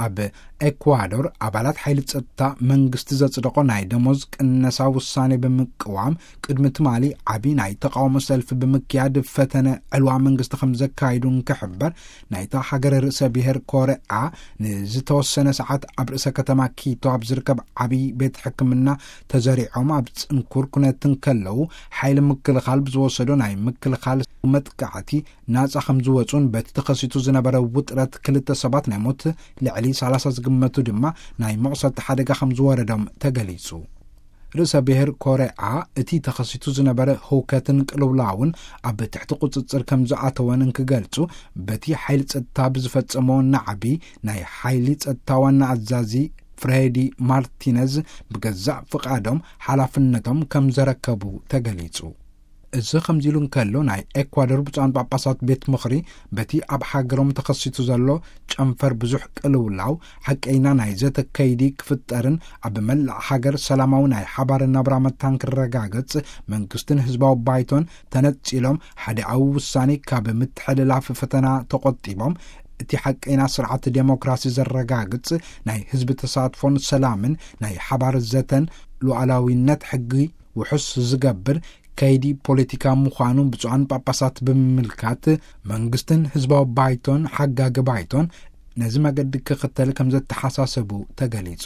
ኣብ ኤኳዶር ኣባላት ሓይሊ ጸጥታ መንግስቲ ዘጽደቖ ናይ ደሞዝ ቅነሳ ውሳኔ ብምቅዋም ቅድሚ ትማሊ ዓቢ ናይ ተቃውሞ ሰልፊ ብምክያድ ፈተነ ዕልዋ መንግስቲ ከም ዘካይዱ እንክሕበር፣ ናይታ ሃገር ርእሰ ብሔር ኮረኣ ንዝተወሰነ ሰዓት ኣብ ርእሰ ከተማ ኪቶ ኣብ ዝርከብ ዓቢ ቤት ሕክምና ተዘሪዖም ኣብ ጽንኩር ኩነት እንከለዉ፣ ሓይሊ ምክልኻል ብዝወሰዶ ናይ ምክልኻል መጥቃዕቲ ናጻ ከም ዝወጹን በቲ ተኸሲቱ ዝነበረ ውጥረት ክልተ ሰባት ናይ ሞት ልዕሊ ሰላሳ ዝግመቱ ድማ ናይ መቑሰልቲ ሓደጋ ከም ዝወረዶም ተገሊጹ። ርእሰ ብሔር ኮረኣ እቲ ተኸሲቱ ዝነበረ ህውከትን ቅልውላውን ኣብ ትሕቲ ቁጽጽር ከም ዝኣተወን እንክገልጹ፣ በቲ ሓይሊ ጸጥታ ብዝፈጸሞ ናዕቢ ናይ ሓይሊ ጸጥታ ዋና ኣዛዚ ፍሬዲ ማርቲነዝ ብገዛእ ፍቓዶም ሓላፍነቶም ከም ዘረከቡ ተገሊጹ። እዚ ከምዚ ኢሉ እንከሎ፣ ናይ ኤኳዶር ብፁዓን ጳጳሳት ቤት ምኽሪ በቲ ኣብ ሃገሮም ተኸሲቱ ዘሎ ጨንፈር ብዙሕ ቅልውላው ሓቀይና ናይ ዘተ ከይዲ ክፍጠርን ኣብ መላእ ሃገር ሰላማዊ ናይ ሓባር ናብራ መታን ክረጋገጽ መንግስትን ህዝባዊ ባይቶን ተነጺሎም ሓደኣዊ ውሳኔ ካብ ምትሕልላፍ ፈተና ተቖጢቦም እቲ ሓቀይና ስርዓት ዴሞክራሲ ዘረጋግጽ ናይ ህዝቢ ተሳትፎን ሰላምን ናይ ሓባር ዘተን ሉዓላዊነት ሕጊ ውሑስ ዝገብር ከይዲ ፖለቲካ ምዃኑ ብፁዓን ጳጳሳት ብምምልካት፣ መንግስትን ህዝባዊ ባይቶን ሓጋጊ ባይቶን ነዚ መገዲ ክኽተል ከም ዘተሓሳሰቡ ተገሊጹ።